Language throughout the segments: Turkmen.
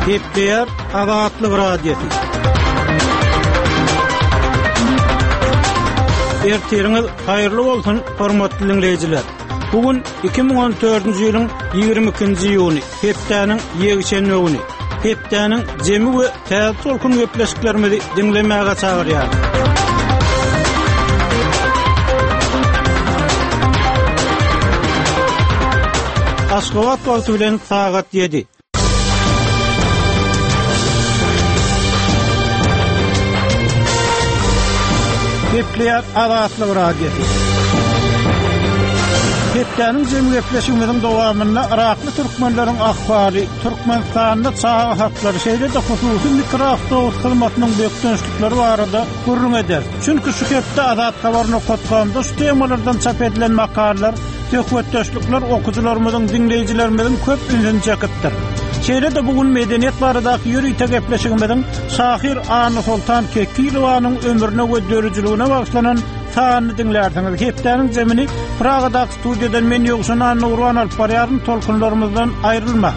Gepleýär Azatlyk Radiosy. Ertiriňiz haýyrly bolsun, hormatly diňleýjiler! Bu gün 2014-nji ýylyň 22-nji iýuny, hepdäniň ýekşenbe güni. Hepdäniň jemi we täze tolkun gepleşiklerimizi diňlemäge çagyrýar. Aşgabat wagty bilen sagat 7. Gepleýär Azatlyk Radiosy. Hepdäniň jemi gepleşigimiziň dowamynda yrakly türkmenleriň ahwaly, Türkmenistanda çaga haklary, şeýle-de hususy mikroawtobus hyzmatynyň bökdençlikleri barada gürrüň ederis. Çünki şu hepde Azathabar nokat komda şu temalardan çap edilen makalalar, söhbetdeşlikler okyjylarymyzyň, diňleýjilerimiziň köp ünsüni çekipdir. Şeýle-de bu gün medeniýet baradaky ýörite gepleşigimiziň şahyr Annasoltan Kekilowanyň ömrüne we döredijiligine bagyşlanan sanyny diňlärsiňiz. Hepdäniň jemini Pragadaky studiýadan men Ýowşan Annagurban alyp barýaryn, tolkunlarymyzdan aýrylmaň.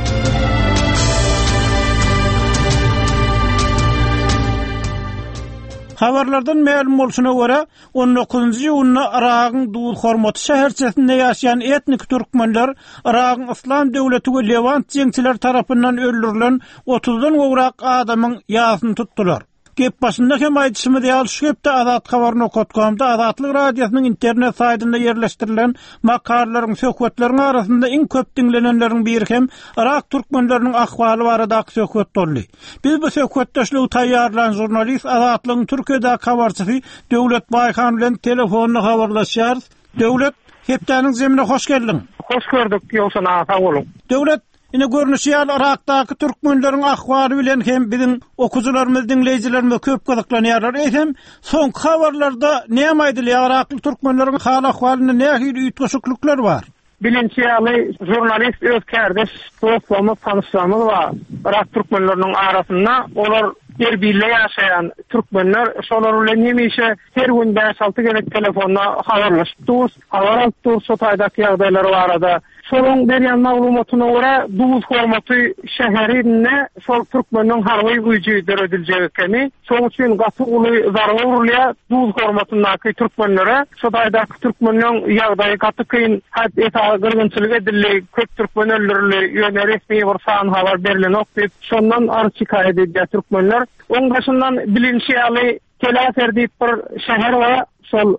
Habarlardan mälim bolşuna görä, On dokuzynjy iýunda Yragyň Duzhormaty şäherçesinde ýaşaýan etniki türkmenler Yragyň Yslam döwleti we Lewant jeňçileri tarapyndan öldürilen otuzdan gowrak adamyň ýasyny tutdular. Gep başynda hem aýdyşymyz ýaly, şu hepde Azathabar nokat komda Azatlyk Radiosynyň internet saýtynda ýerleşdirilen makalalaryň, söhbetleriň arasynda iň köp diňlenenleriň biri hem yrak türkmenleriniň ahwaly baradaky söhbet boldy. Biz bu söhbetdeşligi taýýarlan žurnalist Azatlygyň Türkiýedäki habarçysy Döwlet Baýhan bilen telefonda habarlaşýarys. Döwlet, hepdäniň zemine hoş geldiň. Hoş gördük, Ýowşan aga, sag boluň. Döwlet, ine görnüşi ýaly Yrakdaky türkmenleriň ahwaly bilen hem biziň okyjylarymyz, diňleýjilerimiz köp gyzyklanýarlar. Eýsem, soňky habarlarda näme aýdylýar, yrakly türkmenleriň hal-ahwalynda nähili üýtgeşiklikler bar? Bilinşi ýaly, žurnalist öz kärdeş dostlarymyz, tanyşlarymyz bar yrak türkmenleriniň arasynda. Olar Erbilde ýaşaýan türkmenler. Şolar bilen hemişe her gün bäş-alty gezek telefonda habarlaşyp durus, habar alyp durus şo taýdaky ýagdaýlar barada. Şolaryň berýän maglumatyna görä, Duzhormaty şäherinde şol türkmeniň harby güýji dörediljek ekeni. Şoň üçin gaty uly zarba urulýar Duzhormatyndaky türkmenlere. Şo taýdaky türkmenleň ýagdaýy gaty kyn. Hat esasy gyrgynçylyk edildi, köp türkmen öldürildi, ýöne resmi bir san habar berlenok diýip, şondan arz-şikaýat edýär türkmenler. Oň daşyndan bilinşi ýaly, Telafer diýip bir şäher bar, şol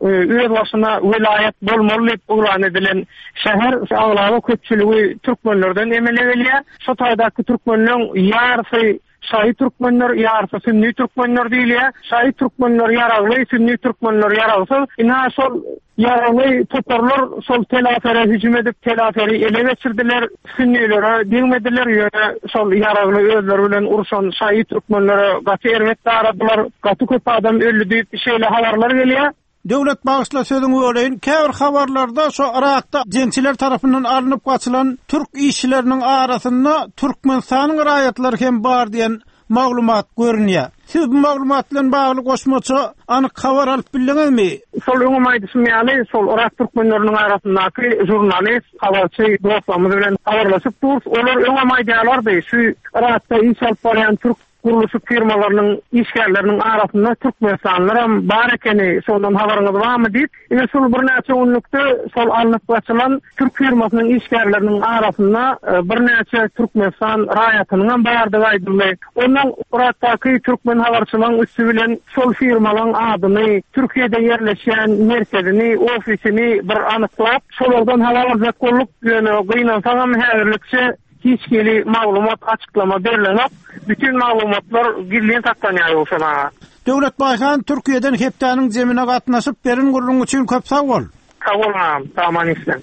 özbaşyna welaýat bolmaly diýip yglan edilen şäher, aglaba köpçüligi türkmenlerden emele gelýär. Şo taýdaky türkmenleň ýarysy şaýy türkmenler, ýarysy sünni türkmenler diýilýär. Şaýy türkmenler ýaragly, sünni türkmenler ýaragsyz. Ynha şol ýaragly toparlar şol Telafere hüjüm edip, Telaferi ele geçirdiler. Sünnilere degmediler, ýöne şol ýaragly özleri bilen urşan şaýy türkmenlere gaty erbet daradylar. Gaty köp adam öldi diýip şeýle habarlar gelýär. Döwlet bagyşla sözüňi böleýin, käbir habarlarda şo Yrakda jeňçiler tarapyndan alnyp gaçylan türk işçileriniň arasynda Türkmenistanyň raýatlary hem bar diýen maglumat görünýär. Siz bu maglumat bilen bagly goşmaça anyk habar alyp bildiňizmi? Şol öňem aýdyşym ýaly, şol yrak türkmenleriniň arasyndaky žurnalist, habarçy dostlarymyz bilen habarlaşyp durus. Olar öňem aýdýarlardy, şu Yrakda iş alyp barýan türk gurluşyk firmalarynyň işgärleriniň arasynda türkmenistanlylaram bar ekeni, şondan habaryňyz barmy diýip. Ine şol birnäçe günlükde şol alnyp gaçylan türk firmasynyň işgärleriniň arasynda birnäçe Türkmenistan raýatynyňam bardygy aýdyldy. Ondan Yrakdaky türkmen habarçylaryň üsti bilen şol firmalaryň adyny, Türkiýede ýerleşýän merkezini, ofisini bir anyklap, şolardan habar aljak bolduk. Ýöne gynansagam häzirlikçe hiç hili maglumat, açyklama berlenok. Bütin maglumatlar gizlin saklanýar Ýowşan aga. Döwlet Baýhan Türkiýeden hepdäniň jemine gatnaşyp beren gürrüň üçin köp sag bol. Sag bol agam, sag-aman işleň.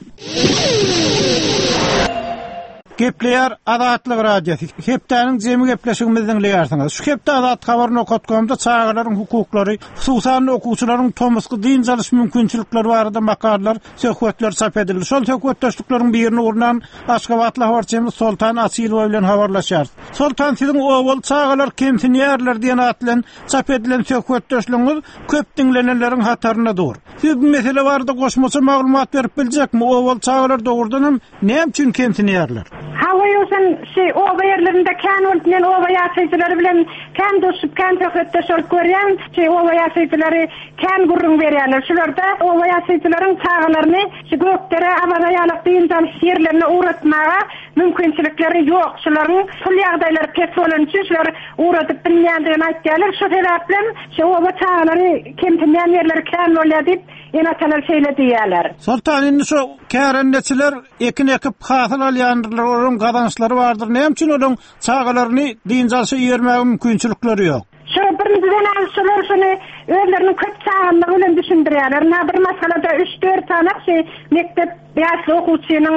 Gepleýär Azatlyk Radiosy. Hepdäniň jemi gepleşigimizi diňleýärsiňiz. Şu hepde Azathabar nokat komda çagalaryň hukuklary, hususan-da okuwçylaryň tomusky dynç alyş mümkinçilikleri barada makalalar, söhbetler çap edildi. Şol söhbetdeşlikleriň birini gurnan aşgabatly habarçymyz Soltan Açylowa bilen habarlaşýarys. Soltan siziň obaly çagalar kemsinýärler diýen at bilen çap edilen söhbetdeşligiňiz köp diňlenenleriň hatarynda dur. Siz bu mesele barada goşmaça maglumat berip biljekmi? Obaly çagalar dogrudan hem näme üçin kemsinýärler? Hawa. Hawa Ýowşan, şi oba ýerlerinde kän bolup men oba ýaşaýjylary bilen kän duşup kän söhbetdeş bolup görýän. Şi oba ýaşaýjylary kän gürrüň berýärler. Şularda oba ýaşaýjylaryň çagalaryny şu Gökdere, Awaza ýalak dynç alyş ýerlerine ugratmaga mümkinçilikleri ýok. Şularyň pul ýagdaýlary pes bolany üçin şular ugradyp bilmeýändigini aýtýarlar. Şu sebäplem şu oba çagalary kemsinýän ýerleri kän bolýar diýip, ene-atalar şeýle diýýärler. Soltan indi şu kärendeçiler ekin ekip hasyl alýandyrlar, olaryň gazançlary bardyr. Näme üçin olaryň çagalaryny dynç alşa ibermäge mümkinçilikleri ýok? Şu birinjiden al şular şuny özleriniň köp çagalygy bilen düşündirýärler. Ynha bir maşgalada üç-dört sany şu mekdep ýaşly okuwçynyň,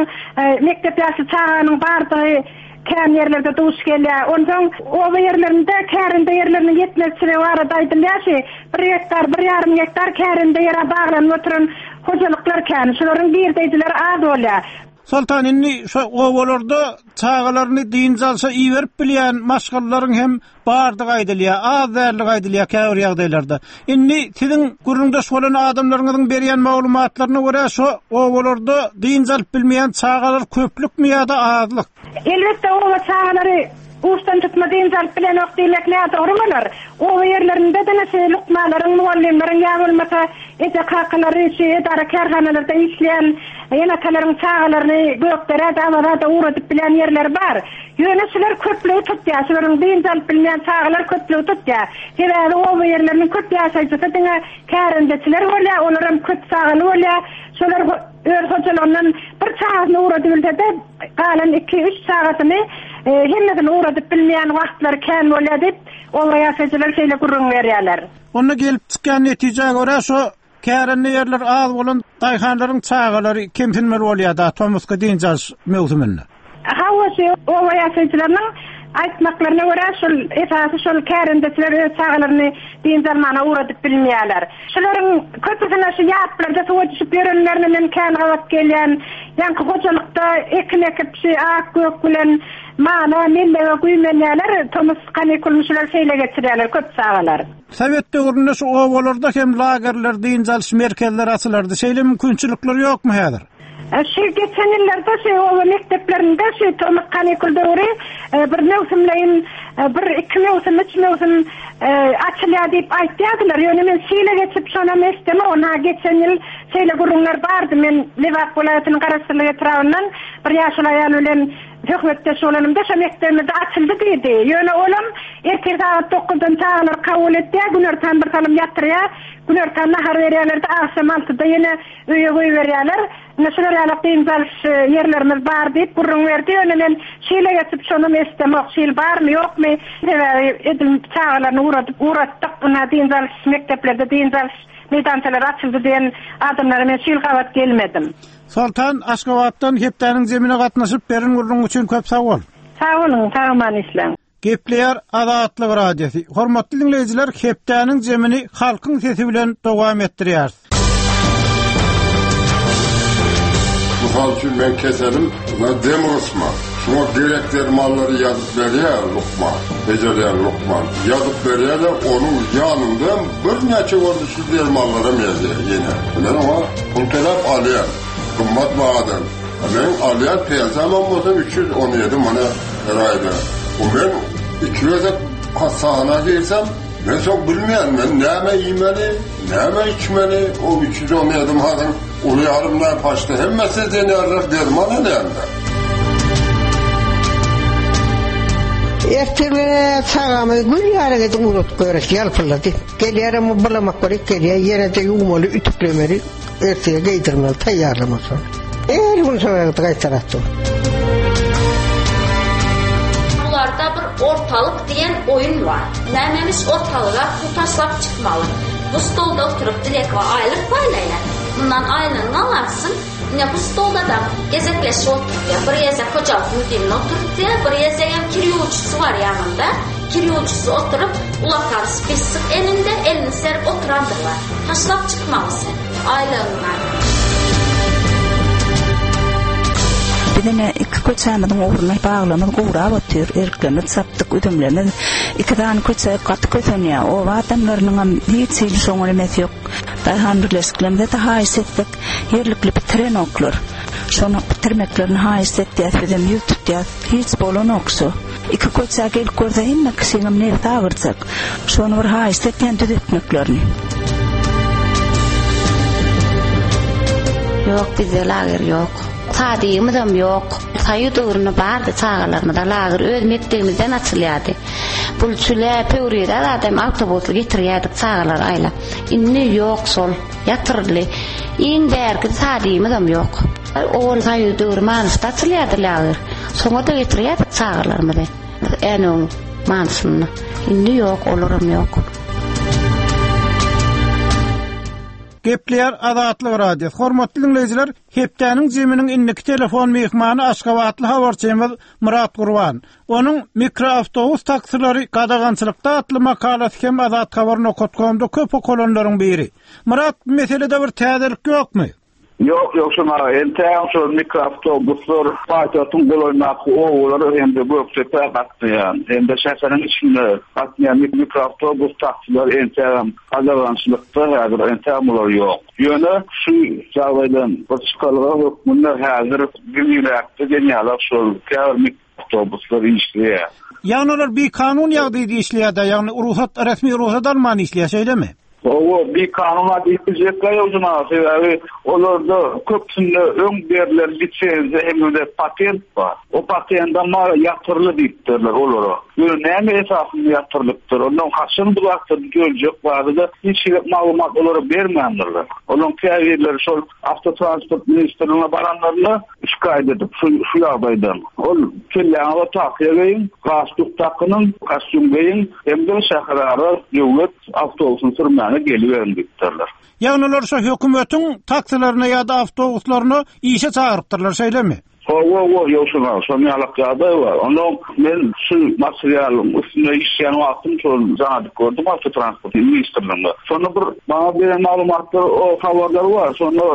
mekdep ýaşly çaganyň bardygy kän ýerlerde duş gelýär. Onsoň oba ýerlerinde kärende ýerleriniň ýetmezçiligi barada aýdylýar şu bir gektar, bir ýarym gektar kärende ýere baglanyp oturan hojalyklar kän. Şularyň girdeýjileri az bolýar. Soltan indi şu obalarda çagalaryny dynç alşa iberip bilýän maşgalalaryň hem bardygy aýdylýar, az däldigi aýdylýar käbir ýagdaýlarda. Indi siziň gürrüňdeş bolan adamlaryňyzyň berýän maglumatlaryna görä şo obalarda dynç alyp bilmeýän çagalar köplükmi ýa-da azlyk? Elbetde oba çagalary uçdan tutma dynç alyp bilenok diýmek nädogry bolar. Oba ýerlerinde diňe şu lukmanlaryň, mugallymlaryň ýa bolmasa eje-kakalary şu edara-kärhanalarda işleýän ene-atalaryň çagalaryny Gökderä-de, Awaza-da ugradyp bilýän ýerleri bar. Ýöne şular köplügi tutýar. Şularyň dynç alyp bilmeýän çagalar köplügi tutýar. Sebäbi oba ýerleriniň köp ýaşaýjysy diňe kärendeçiler bolýar, olaram köp çagaly bolýar. Şolar öz hojalygyndan bir çagasyny ugradybilse-de, galan iki-üç çagasyny hemmesini ugradyp bilmeýän wagtlary kän bolýar diýip, oba ýaşaýjylary şeýle gürrüň berýärler. Onda gelip çykýan netijä görä, şo Kärende ýerleri az bolan daýhanlaryň çagalary kemsinmeli bolýar-da tomusky dynç alyş möwsüminde. Hawa, şu oba ýaşaýjylarynyň aýtmaklaryna görä, şol esasy şol kärendeçiler öz çagalaryny dynç almana ugradyp bilmeýärler. Şularyň köpüsine şu ýaplarda suwa düşüp ýörenlerine men kän gabat gelýän. Ýaňky hojalykda ekin ekip, şu ak-gök bilen mala, mellege güýmenýärler. Tomus kanikulyny şular şeýle geçirýärler, köp çagalar. Sowet döwründe şu obalarda hem lagerler, dynç alyş merkezleri açylardy. Şeýle mümkinçilikler ýokmy häzir? Şu geçen ýyllarda şu oba mekdeplerinde şu tomus kanikul döwri bir möwsümleýin bir iki möwsüm, üç möwsüm açylýar diýip aýtýardylar. Ýöne men şu ýyla geçip şonam eşidemok. Ynha geçen ýyl şeýle gürrüňler bardy. Men Lebap welaýatynyň Garaşsyzlyk etrabyndan bir ýaşuly aýal bilen Söhbetdeş bolanymda şo mekdebimizde açyldy diýdi. Ýöne olam ertir sagat dokuzdan çagalary kabul etýär, günortan bir salym ýatyrýar, günortan nahar berýärler-de, agşam altyda ýene öýe goýberýärler. Ine şular ýaly dynç alyş ýerlerimiz bar diýip gürrüň berdi. Ýöne men şu ýyla geçip şonam eşidemok, şu ýyl barmy, ýokmy? Sebäbi edil çagalaryny ugradyp ugratdyk, ynha dynç alyş mekdeplerde dynç alyş meýdançalary açyldy diýen adamlara men şu ýyl gabat gelmedim. Soltan, Aşgabatdan hepdäniň jemine gatnaşyp beren gürrüňiň üçin köp sag bol. Sag boluň, sag-aman işläň. Gepleýär Azatlyk Radiosy. Hormatly diňleýjiler, hepdäniň jemini halkyň sesi bilen dowam etdirýäris. Mysal üçin meň keselim dem gysma. Şuňa gerek dermanlary ýazyp berýär lukman, bejerýän lukman. Ýazyp berýär-de, onuň ýanynda hem birnäçe görnüşli dermanlaram ýazýar ýene. Men oňa pul töläp alýan, gymmat bahadan. A meň alýan pensiýamam bolsa 317 manat her aýda. Bu men iki gezek hassahana girsem, men soň bilmeýän, men näme iýmeli, näme içmeli, o 317 manadyň Uly ýarym paçda hemmesi diýen derman alýanda. Ertir bilen çagamy gül ýaly edip ugradyp goýberdi, ýalpyldady. Gelýärem bu bulamak bolup gelýär, ýene-de ýuwmaly, ütüklemeli, ertire geýdirmeli, taýýarlamaly şony. Her gün şo ýagdaý gaýtalap dur. Bularda bir ortalyk diýen oýun bar. Nämemiş ortalyga pul taşlap çykmaly. Bu stolda oturyp Dilek we aýlyk paýlaýar. Mundan aýlygyňy alarsyň. Ine bu stolda-da gezekleşip oturtýar. Bir gezek hojalyk müdirini oturtýar, bir gezegem kir ýuwujysy bar ýanynda. Kir ýuwujysy oturyp, ulakan spisik elinde, elini serip oturandyrlar. Taşlap çykmaly sen aýlygyňdan. Biz ine iki köçämiziň ugruna baglarymyz gurap otyr, eriklerimizi çapdyk, üzümlerimiz. Iki sany köçe gaty kösenýär. Oba adamlarynyňam hiç hili şoňa nemesi ýok. Daýhan birleşiklerimize-de haýyş etsek, ýerlikli bitirenoklar. Şony bitirmeklerini haýyşt etýäs bizem ýüz tutýas. Hiç bolanok şu. Iki köçä gelip görse hemme kişiňem nebsi agyrjak. Şony bir haýyşt etýän düzetmeklerini. Ýok bizde lager ýok. Sadigimizem ýok. Soýuz döwründe bardy çagalarymyza lager öz mekdebimizden açylýardy. Bul çüle, pöwrize zadam awtobusly getirýärdik çagalary aýlap. Indi ýok şol. Ýatyryldy. Iň bärki sadigimizem ýok. Owal soýuz döwri Manysda açylýardy lager. Şoňa-da getirýärdik çagalarymyzy. Änewiň Manysynda. Indi ýok, olaram ýok. Gepleýär Azatlyk Radiosy. Hormatly diňleýjiler, hepdäniň jeminiň indiki telefon myhmany aşgabatly habarçymyz Myrat Gurban. Onuň Mikroawtobus taksilary gadagançylykda atly makalasy hem azathabar nokat komda köp okalanlaryň biri. Myrat, bu meselede bir täzelik ýokmy? Ýok, Ýowşan aga, entägem şol mikroawtobuslar paýtagtyň golaýyndaky obalara hem-de Gökdepä gatnaýan, hem-de şäheriň içinde gatnaýan mikroawtobus taksiler entägem gadagançylykda, häzir entägem olar ýok. Ýöne şu ýagdaýdan bir çykalga hökmünde häzir giňräkde diýen ýaly şol käbir Awtobuslar işleýär. Ýagny olar bikanun ýagdaýda işleýär-dä, ýagny rugsat, resmi rugsat alman işleýär, şeýlemi? Hawa, bikanun-a diýip biljekler ýok juma, sebäbi olarda köpüsinde öň berlen lisenziýa hem-de patent bar. O patendem bar, ýatyrly diýipdirler olara. Ýöne näme esasynda ýatyrylypdyr, ondan haçan bu zatlar düzeljek barada hiç hili maglumat olara bermändirler. Olaryň käbirleri şol Awtotransport ministrligine baranlarynda şikaýat edip, şu şu ýagdaýdan. Ol kelläňize tahýa geýiň, galstuk dakynyň, kostýum geýiň hem-de şäherara döwlet awtobusyny sürmäge geliberiň diýipdirler. Ýagny olar şo hökümetiň taksilerine ýa-da awtobuslaryna işe çagyrypdyrlar, şeýlemi? Hawa, hawa, Ýowşan aga, şonuň ýalak ýagdaý bar. Onsoň men şu materialyň üstünde işleýän wagtym şol jaň edip gördüm awtotransport ministrligine. Şonda bir maňa beren maglumatlar, o habarlar bar. Şonda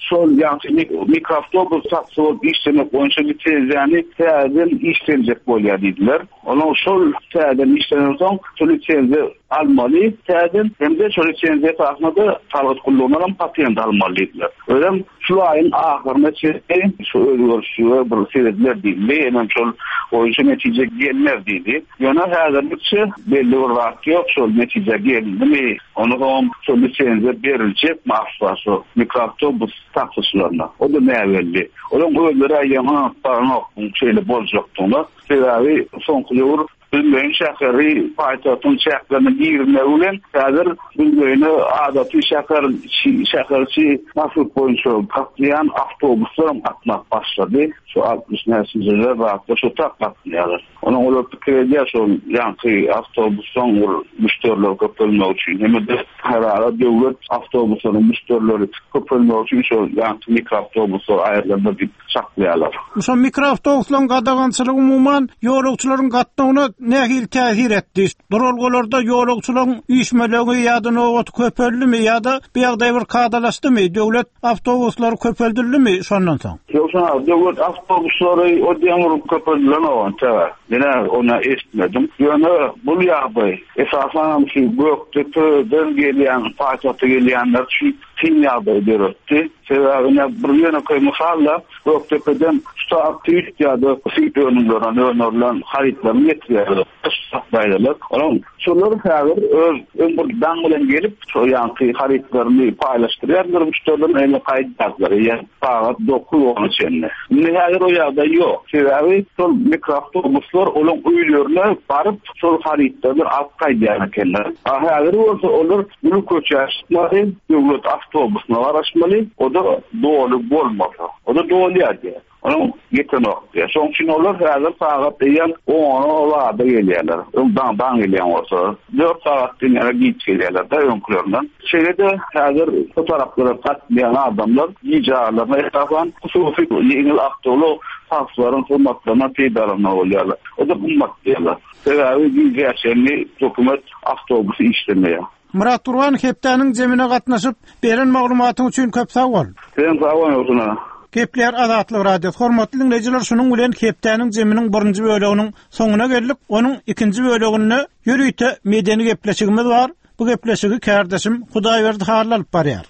şol ýaňky mikroawtobus taksi bolup işlemek boýunça lisenziýany täzeden işlenjek bolýar diýdiler. Onuň şol täzeden işlenensoň şol lisenziýa almaly täzeden hem-de şol lisenziýa esasynda-da salgyt gullugyndan hem patent almaly diýdiler. Özem şu aýyň ahyryna çenli şu özgerişlige bir serediler diýildi, hemem şol boýunça netije gelner diýdi. Ýöne häzirlikçe belli bir zat ýok, şol netije gelindimi, onsoňam şol lisenziýa beriljekmi asla şu mikroawtobus taksiçilerine, o-da näbelli. Olaryň özleri eýýäm ynanyp baranok muň şeýle boljakdygyna. Sebäbi soňky döwür Büzmeýin şäheri paýtagtyň çäklerine girmegi bilen häzir Büzmeýine adaty şäher içi, şäher içi marşrut boýunça gatnaýan awtobuslaram gatnap başlady. Şu 60 näçinjiler zatlar şo tak gatnaýarlar. Onuň olar pikir edýär şol ýaňky awtobuslaň bir müşderileri köpelmegi üçin hem-de şäherara döwlet awtobuslarynyň müşderileri köpelmegi üçin şol ýaňky mikroawtobuslar aýrylandyr diýip çaklaýarlar. Şol mikroawtobuslaryň gadagançylygy umuman ýolagçylaryň gatnawyna nähili täsir etdi? Duralgalarda ýolagçylaryň üýşmelegi ýa-da nobaty köpeldimi ýa-da bu ýagdaý bir kadalaşdymy? Döwlet awtobuslary köpeldildimi şondan soň? Ýogsa döwlet awtobuslary o diýen bir köpeldilenok entäge. Men-ä ony eşitmedim. Ýöne bul ýagdaý esasanam şu Gökdepeden gelýän paýtagta gelýänler üçin kyn ýagdaý döretdi. Sebäbi ine bir ýönekeý mysal-da, Gökdepeden ştab süýt ýa-da süýt önümlerinden öndürilen harytlaryny getirýärler, saklaýarlar. Onuň şolar häzir öz öň bir daň bilen gelip, şo ýaňky harytlaryny paýlaşdyrýarlar müşderilerine, indi gaýdýarlar eýýäm sagat dokuz-ona çenli. Indi häzir o ýagdaý ýok. Sebäbi şol mikroawtobuslar olaň öýlerine baryp, şol harytlaryny alyp gaýdýan ekenler. A häzir bolsa olar Uly köçä çykmaly, döwlet awtobusyna garaşmaly, o-da doly bolmasa. O-da dolýar diýýär. Onuň ýetenok diýýär. Şonuň üçin olar häzir sagat eýýäm ona zada gelýärler. Öň daňdan gelýän bolsa, dört sagat diýen ýaly giç gelýärler-de öňkülerinden. Şeýle-de häzir bu taraplara gatnaýan adamlar gije aralarynda esasan hususy ýeňil awtoulag taksileriň hyzmatlaryndan peýdalanmaly bolýarlar. O-da gymmat diýýärler. Sebäbi gijä çenli hökümet awtobusy işlemeýär. Myrat Gurban hepdäniň jemine gatnaşyp, beren maglumatyň üçin köp sag bol. Sen sag bol Nursun aga. Gepleýär Azatlyk Radiosy. Hormatly diňleýjiler şunuň bilen hepdäniň jeminiň birinji böleginiň soňuna geldik. Onuň ikinji böleginde ýörite medeni gepleşigimiz bar. Bu gepleşigi kärdeşim Hudaýberdi Hally alyp barýar.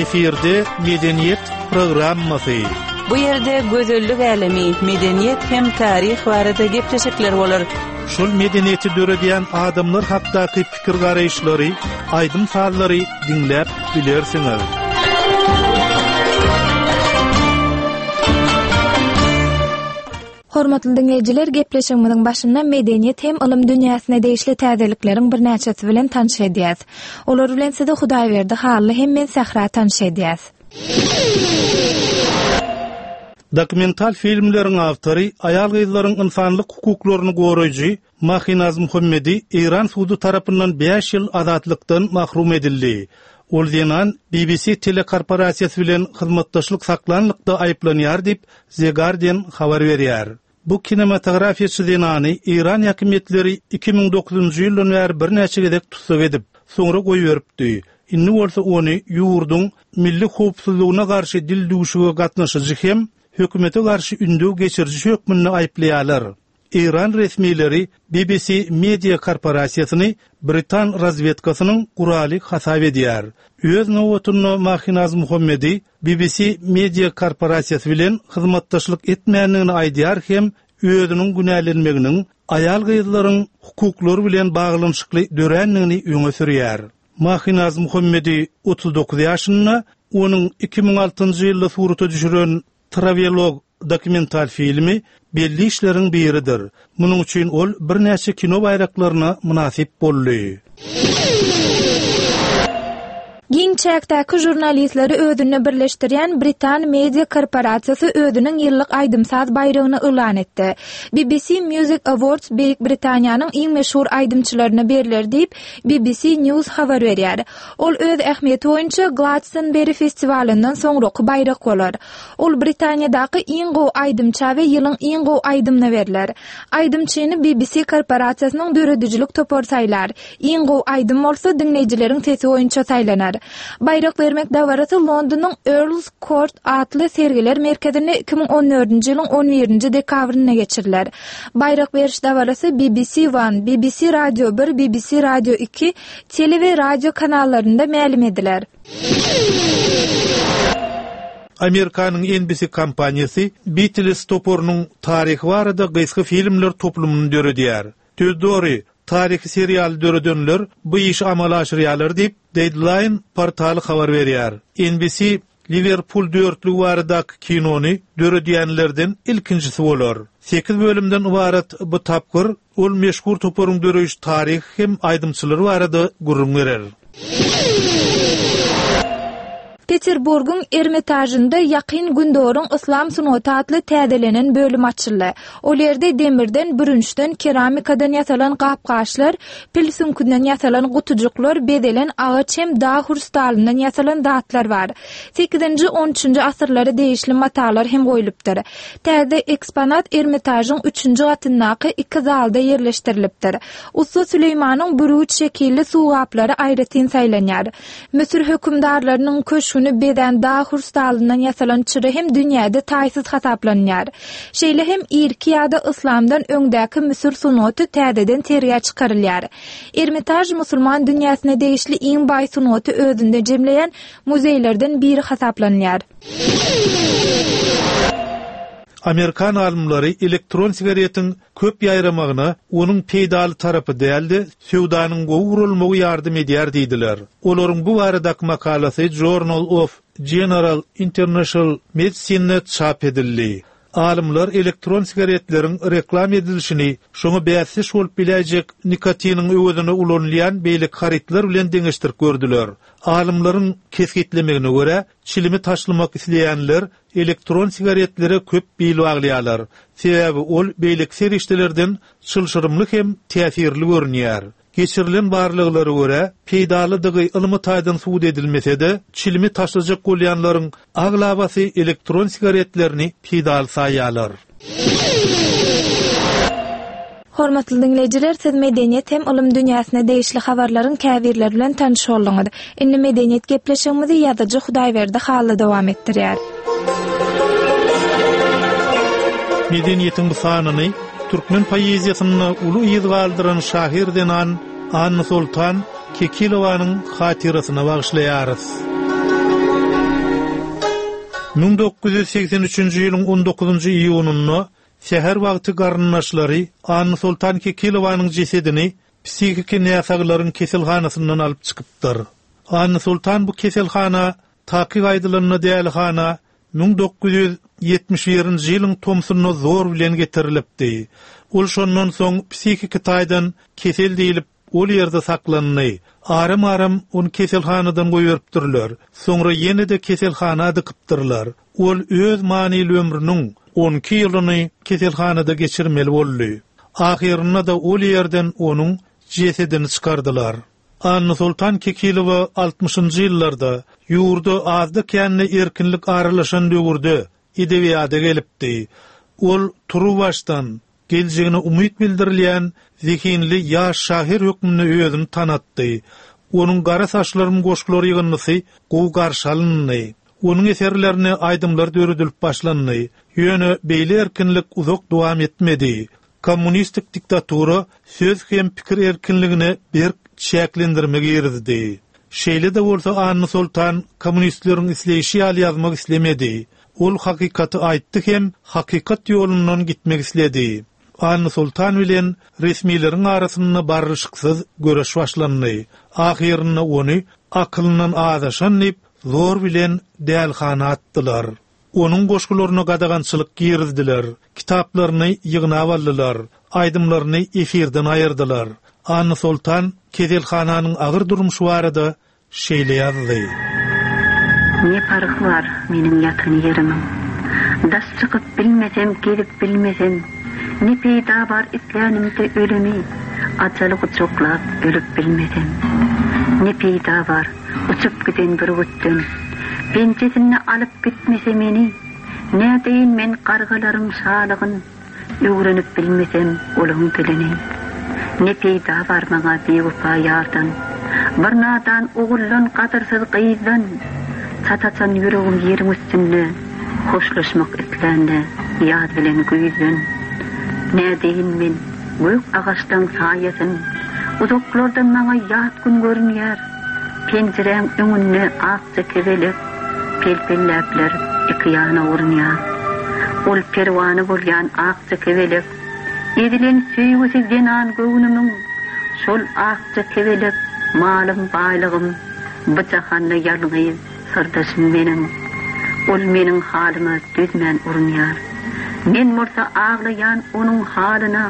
Efirde Medeniýet programmasy. Bu ýerde gözellik älemi, medeniýet hem taryh barada gepleşikler bolar. Şol medeniýeti döredýän adamlar hakdaky pikir-garaýyşlary, aýdym-sazlary diňläp bilersiňiz. Hormatly diňleýjiler, gepleşigimiziň başynda medeniýet hem ylym dünýäsine degişli täzelikleriň birnäçesi bilen tanyş edýäs. Olar bilen sizi Hudaýberdi Hally hem men Sähra tanyş edýäs. Dokumental filmleriň awtory, aýal-gyzlaryň ynsanlyk hukuklaryny goraýjy Mahinaz Muhammedi Eýran sudy tarapyndan bäş ýyl azatlykdan mahrum edildi. Ol zenan BBC telekorporasiýasy bilen hyzmatdaşlyk saklanlykda aýyplanýar diýip, The Guardian habar berýär. Bu kinematografiýaçy zenany eýran häkimiýetleri 2009-njy ýyldan bäri birnäçe gezek tussag edip, soňra goýberipdi. Indi bolsa ony ýurduň milli howpsuzlygyna garşy dildüwşüge gatnaşyjy hem hökümete garşy ündew geçiriji hökmünde aýyplaýarlar. Eýran resmileri BBC media korporasiýasyny britan razwedkasynyň guraly hasap edýär. Öz nobatynda Mahinaz Muhammedi BBC media korporasiýasy bilen hyzmatdaşlyk etmändigini aýdýar hem özüniň günälenmeginiň aýal-gyzlaryň hukuklary bilen baglanyşykly dörändigini öňe sürýär. Mahinaz Muhammedi 39 ýaşynda, onuň 2006-njy ýylda surata düşüren Travelog dokumental filmi belli işleriň biridir. Munuň üçin ol birnäçe kino baýraklaryna mynasyp boldy. Giň çäkdäki žurnalistleri özünde birleşdirýän Britan media korporasiýasy özüniň ýyllyk aýdym-saz baýragyny yglan etdi. BBC Music Awards Beýik Britaniýanyň iň meşhur aýdymçylaryna berler diýip, BBC News habar berýär. Ol öz ähmiýeti boýunça Glastonbury festiwalyndan soňraky baýrak bolar. Ol Britaniýadaky iň gowy aýdymça we ýylyň iň gowy aýdymyna berler. Aýdymçyny BBC korporasiýasynyň döredijilik topary saýlar. Iň gowy aýdym bolsa diňleýjileriň sesi boýunça saýlanar. Baýrak bermek dabarasy Londonyň Earls Court atly sergiler merkezinde 2014-nji ýylyň on birinji dekabrynda geçiriler. Baýrak beriş dabarasy BBC One, BBC Radio bir, BBC Radio iki, tele we radio kanallarynda mälim ediler. Amerikanyň NBC kompaniýasy Beatles toparynyň taryhy barada gysga filmler toplumyny döredýär. Söz dogry, taryhy serialy döredenler bu işi amala aşyrýarlar diýip, Deadline portaly habar berýär. NBC Liwerpul dörtlügi baradaky kinony döredýänlerden ilkinjisi bolar. Sekiz bölümden ybarat bu tapgyr ol meşhur toparyň döreýiş taryhy hem aýdymçylary barada gürrüň berer. Peterburgyň Ermitažynda Ýakyn Gündogaryň yslam sungaty atly täzelenen bölüm açyldy. Ol ýerde demirden, bürünçden, keramikadan ýasalan gap-gaçlar, pil süňkünden ýasalan gutujyklar, bezelen agaç hem dag hrustalyndan ýasalan zatlar bar. Sekizinji, on üçünji asyrlara degişli matalar hem goýlupdyr. Täze eksponat Ermitažyň üçünji gatyndaky iki zalda ýerleşdirilipdir. Ussa Süleýmanyň bürgüt şekilli suw gaplary aýratyn saýlanýar. Müsür hökümdarlarynyň köşgüni bezän dag hrustalyndan ýasalan çyra hem dünýäde taýsyz hasaplanýar. Şeýle hem irki ýa-da yslamdan öňdäki müsür sungaty täzeden sergä çykarylýar. Ermitaž musulman dünýäsine degişli iň baý sungaty özünde jemleýän muzeýlerden biri hasaplanylýar. Amerikan alymlary elektron sigaretiň köp ýaýramagyna onuň peýdaly tarapy däl-de, söwdanyň gowy guralmagy ýardam edýär diýdiler. Olaryň bu baradaky makalasy Journal of General International Medicine-de çap edildi. Alymlar elektron sigaretleriň reklam edilişini şoňa bäsdeş bolup biläýjek nikotiniň öwezine ulanylýan beýleki harytlar bilen deňeşdirip gördüler. Alymlaryň kesgitlemegine görä, çilimi taşlamak isleýänler elektron sigaretlere köp bil baglaýarlar, sebäbi ol beýleki serişdelerden çylşyrymly hem täsirli görünýär. Geçirilen barlaglara görä, peýdalydygy ylmy taýdan subut edilmese-de, çilimi taşlajak bolýanlaryň aglabasy elektron sigaretlerini peýdaly saýýarlar. Hormatly diňleýjiler, siz medeniýet hem ylym dünýäsine degişli habarlaryň käbirleri bilen tanyş bolduňyz. Indi medeniýet gepleşigimizi ýazyjy Hudaýberdi Hally dowam etdirýär. Medeniýetiň bu sanyny türkmen poeziýasynda uly yz galdyran şahyr zenan Annasoltan Kekilowanyň hatyrasyna bagyşlaýarys. 1983-nji ýylyň on dokuzynjy iýunynda säher wagty garyndaşlary Annasoltan Kekilowanyň jesedini psihiki näsaglaryň keselhanasyndan alyp çykypdyr. Annasoltan bu keselhana, takyk aýdylanda dälihana 1971-nji ýylyň tomsunda zor bilen getirilipdi. Ol şondan soň psihiki taýdan kesel diýlip, ol ýerde saklandy. Aram-aram ony keselhanadan goýberipdirler. Soňra ýene-de keselhana dykypdyrlar. Ol öz manyly ömrüniň on iki ýylyny keselhanada geçirmeli boldy. Ahyrynda-da ol ýerden onuň jesedini çykardylar. Annasoltan Kekilowa altmyşynjy ýyllarda, ýurda azda-kände erkinlik aralaşan döwürde edebiýada gelipdi. Ol turuwbaşdan geljegine umyt bildirilýän zehinli ýaş şahyr hökmünde özüni tanatdy. Onuň Gara saçlarym goşgular ýygyndysy gowy garşy alyndy. Onuň eserlerine aýdymlar döredilip başlandy. Ýöne beýle erkinlik uzak dowam etmedi. Kommunistik diktatura söz hem pikir erkinligine berk çäklendirme girizdi. Şeýle-de bolsa Annasoltan kommunistleriň isleýşi ýaly ýazmak islemedi. Ol hakykaty aýtdy hem hakykat ýolundan gitmek isledi. Annasoltan bilen resmileriň arasynda barlyşyksyz göreş başlandy. Ahyrynda ony akylyndan azaşan diýip, zor bilen dälihana atdylar. Onuň goşgularyna gadagançylyk girizdiler, kitaplaryny ýygnap aldylar, aýdymlaryny efirden aýyrdylar. Annasoltan keselhananyň agyr durmuşy barada şeýle ýazdy. Ne parhy bar meniň ýatan ýerimiň? Daş çykyp bilmesem, gezip bilmesem, Ne peýda bar islänimde ölümi, Ajaly gujaklap ölüp bilmesem. Ne peýda bar uçup giden bürgütden, Penjesinde alyp gitmese meni, Nädeýin men gargalaryň şalygyn, Öwrenip bilmesem olaň dilini. Ne peýda bar maňa biwepa ýardan, Bir nadan oguldan, gadyrsyz gyzdan? Çat açan ýüregim ýeriň üstünde, Hoşlaşmak islände ýaz bilen güýzden. Nädeýin men gök agaçlaň saýasyn, Uzaklardan maňa ýat gün görünýär. Penjiräň öňünde akja kebelek Pel-pelläpler iki ýana urunýar. Ol perwana bolýan akja kebelek, Ezilen söýgüsi zenan göwnümiň. Şol akja kebelek malym, baýlygym, Bu jahanda ýalňyz syrdaşym meniň. Ol meniň halyma dözmän urunýar. Men bolsa aglaýan onuň halyna.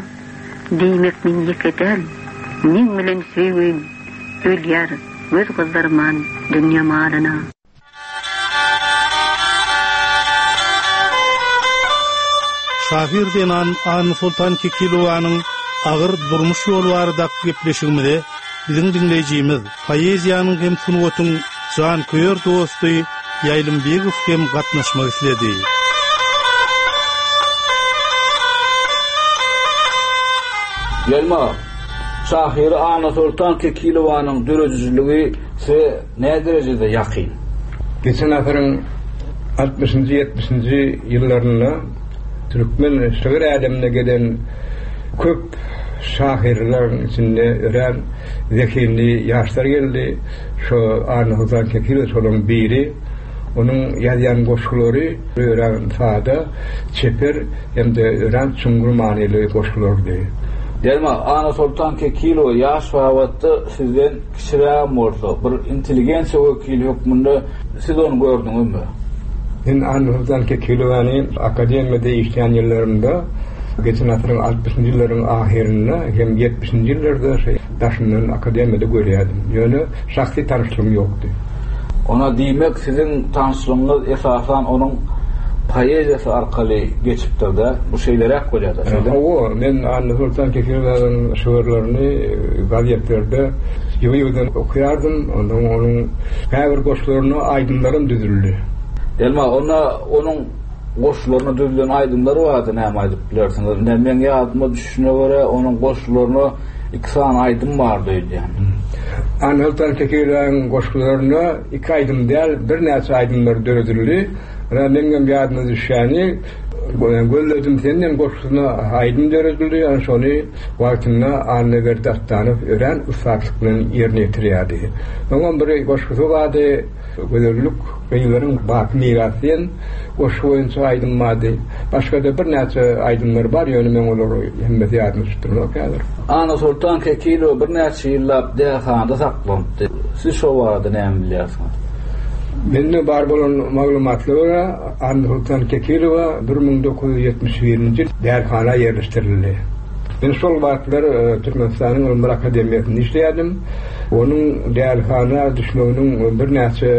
Diýmek men ýeke däl, meň bilen söýgim Ölýär göz gyzdyrman dünýe malyna. Şahyr zenan Annasoltan Kekilowanyň agyr durmuş ýoly baradaky gepleşigimize biziň diňleýjimiz, poeziýanyň hem sungatyň janköýer dosty Ýaýlym Begow hem gatnaşmak isledi. Ýaýlym aga, şahyry Annasoltan Kekilowanyň döredijiligi size näderejede ýakyn? Geçen asyryň altmyşynjy, ýetmişinji ýyllarynda türkmen şygyr älemine gelen köp şahyrlaryň içinde örän zehinli ýaşlar geldi. Şo Annasoltan Kekilow şolaryň biri. Onuň ýazýan goşgulary örän sada, çeper hem-de örän çuňňur manyly goşgulardy. Derman, Annasoltan Kekilowa ýaş babatda sizden kiçirägem bolsa, bir intelligensiýa wekili hökmünde siz ony gördüňizmi? Men Annasoltan Kekilowany akademiýada işleýän ýyllarymda, geçen asyryň altmyşynjy ýyllaryň ahyrynda hem ýetmişinji ýyllarda daşyndan akademiýada görýärdim. Ýöne şahsy tanyşlygym ýokdy. Onda diýmek siziň tanyşlygyňyz esasan onuň poeziýasy arkaly geçipdir-dä? Bu şeýleräk bolýar-da, şeýdemi? Hawa, men Annasoltan Kekilowyň şygyrlaryny gazetlerde ýygy-ýygydan okaýardym. Onsoň onuň käbir goşgularyna aýdymlaram düzüldi. Elma, onda onuň goşgularyna düzülen aýdymlar barada näme aýdyp bilersiňiz? Ine, meň ýadyma düşüşine görä, onuň goşgularyna iki sany aýdym bardy öýdýän. Annasoltan Kekilowyň goşgularyna iki aýdym däl, birnäçe aýdymlar döredildi. Ine, meňem ýadyma düşýäni. Gözledim senden goşgusyna aýdym döredildi, ýöne şony wagtynda Annaberdi Atdanow örän ussatlyk bilen ýerine ýetirýärdi. Soňam bir goşgusy bardy, Gözellik gyzlaryň baky mirasy diýen goşgy boýunça aýdym bardy. Başga-da birnäçe aýdymlar bar, ýöne meň olary hemmesi ýadyma düşüp duranok häzir. Annasoltan Kekilowa birnäçe ýyllap dälhanada saklanypdy. Siz şo barada näme bilýärsiňiz? Mende bar bolan maglumatlara görä, Annasoltan Kekilowa 1971-nji ýyl dälhana ýerleşdirildi. Men şol wagtlar Türkmenistanyň Ylymlar akademiýasynda işleýärdim. Onuň dälihana düşmeginiň birnäçe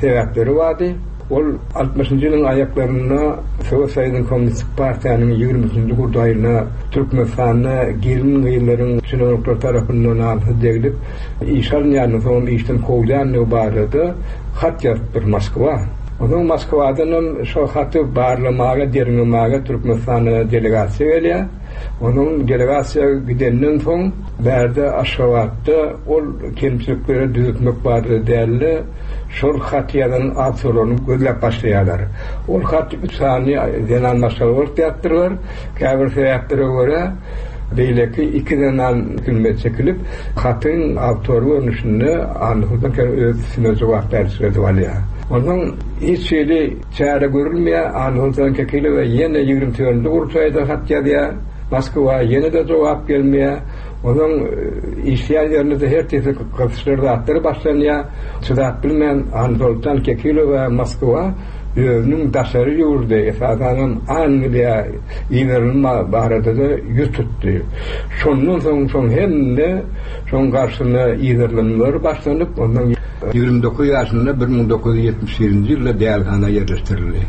sebäpleri bardy. Ol altmyşynjy ýylyň aýaklarynda Sowet Soýuzynyň Kommunistik partiýanyň ýigrimi üçünji gurdaýyna Türkmenistanda gelin-gyzlaryň çinownikler tarapyndan namysy deglip, işe alynýandygy, soňam işden kowulýandygy barada hat ýazypdyr Moskwa. Onsoň Moskwadanam şo haty barlamaga, derňemäge Türkmenistana delegasiýa gelýär. Onuň delegasiýa gidenden soň bärde Aşgabatda ol kemçilikleri düzetmek barada däl-de, şol haty ýazan awtorlaryny gözläp başlaýarlar. Ol haty üç sany zenan maşgala bolup ýazypdyrlar. Käbir sebäplere görä, beýleki iki zenan filme çekilip, hatyň awtory görnüşinde Annasoltan Kerim öz üstüne jogapkärçilik edip alýar. Onsoň hiç hili Çäre görülmeýär, Annasoltan Kekilowa ýene 24-nji gurultaýda hat ýazýar, Moskwa ýene-de jogap gelmeýär. Onuň işleýän ýerinde-de her tüýsli gysyşlar zatlar başlanýar. Çydap bilmän Annasoltan Kekilowa Moskwa özüniň daşary ýurda, esasanam Angliýa iberilme barada-da ýüz tutdy. Şondan soň şoň hemme şoň garşysyna yzarlanmalar başlanyp, ondan 29 ýaşynda 1971-nji ýylda dälihana ýerleşdirildi.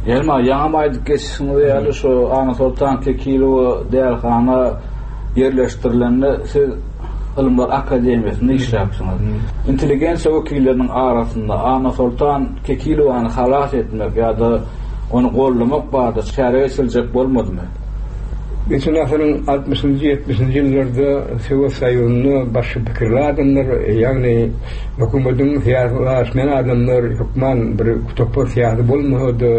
Elma, ýaňam aýdyp geçişiňiz ýaly, şu Annasoltan Kekilowa dälihana ýerleşdirilende siz Ylymlar akademiýasynda işläpsiňiz. Intelligensiýa wekilleriniň arasynda Annasoltan Kekilowany halas etmek ýa-da ony goldamak barada çäre geçiriljek bolmadymy? Geçen asyryň altmyşynjy, ýetmişinji ýyllarda Sowet Soýuzynda başga pikirli adamlar, ýagny hökümetiň syýasy ylalaşmaýan adamlar hökman bir topar syýasy bolmasa-da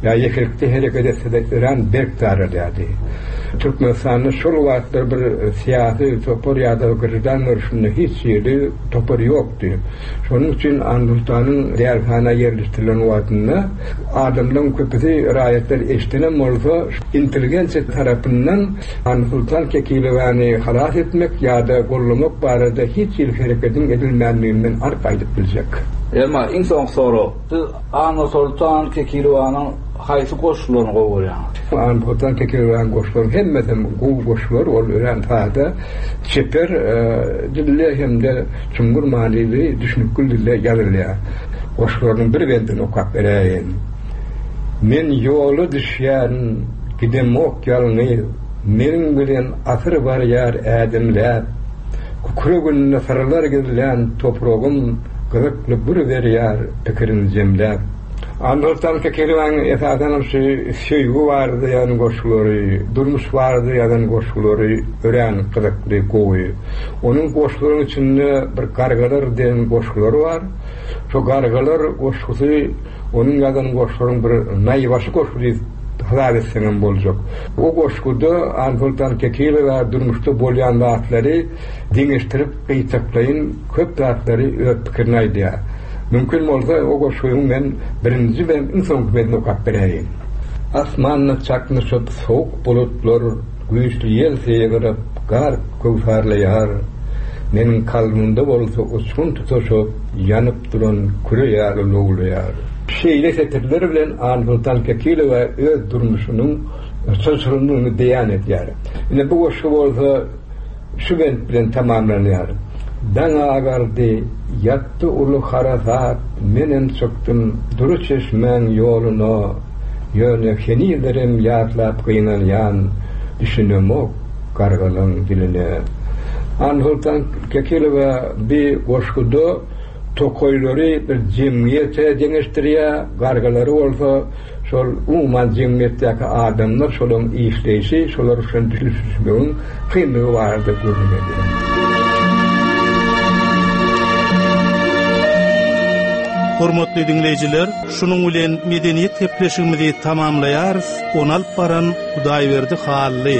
ýa ýekelikde hereket etse-de örän berk daralýardy. Türkmenistanda şol wagtlar bir syýasy topar ýa-da graždan görnüşinde hiç hili topar ýokdy. Şonuň üçin Annasoltanyň dälihana ýerleşdirilen wagtynda adamlaryň köpüsi raýatlar eşidenem bolsa, intelligensiýa tarapyndan Annasoltan Kekilowany halas etmek ýa-da gollamak barada hiç hili hereketiň edilmändigini men anyk aýdyp biljek. Emma iň soňky sorag, siz Annasoltan Kekilowanyň haýsy goşgularyny gowy görýäňiz? Annasoltan Kekilowanyň goşgularynyň hemmesem gowy goşgular, ol örän sada, çeper dilde hem-de çuňňur manyly, düşnükli dilde ýazylýar. Goşgularynyň bir bendini okap beräýin. Men ýola düşýärin, gidemok ýalňyz, Meniň bilen asyr barýar ädimläp. Kükreginde syrlar gizlän topragym Gyzykly gür berýär pikirin jemläp. Annasoltan Kekilowyň esasanam şu söýgi barada ýazan goşgulary, durmuş barada ýazan goşgulary örän gyzykly, gowy. Onuň goşgularyň içinde bir Gargalar diýen goşgulary bar. Şo Gargalar goşgusy Onuň ýazan goşgularyň bir naýbaşy goşgy diýip hasap etseňem boljak. O goşguda Ansoltan Kekilowa durmuşda bolýan zatlary deňeşdirip gyýtaklaýyn köp zatlary öz pikirini aýdýar. Mümkin bolsa o goşgynyň men birinji we iň soňky bendini okap beräýin. Asmanda çaknyşyp sowuk bulutlar Güýçli ýel sygyryp gar köwsarlaýar. Meniň kalbymda bolsa uçgun tutaşyp ýanyp duran küre ýaly lowlaýar. Şeýle setirler bilen Ansoltan Kekilowa öz durmuşynyň çylşyrymlygyny beýan edýär. Ine bu goşgy bolsa şu bent bilen tamamlanýar, Daň agardy, ýatdy uly harasat, Menem çykdym dury çeşmäň ýoluna, Ýöne henizlerem ýatlap gynanýan, Düşünemok gargalaň diline. Ansoltan Kekilowa bi goşguda tokaýlary bir jemgyýete deňeşdirýär, gargalary bolsa şol umuman jemgyýetdäki adamlar, şolaryň işleýşi, şolar bilen düşünişmegiň kynlygy barada gürrüň edýär. Hormatly diňleýjiler, şunuň bilen medeniýet gepleşigimizi tamamlaýarys, ony alyp baran Hudaýberdi Hally.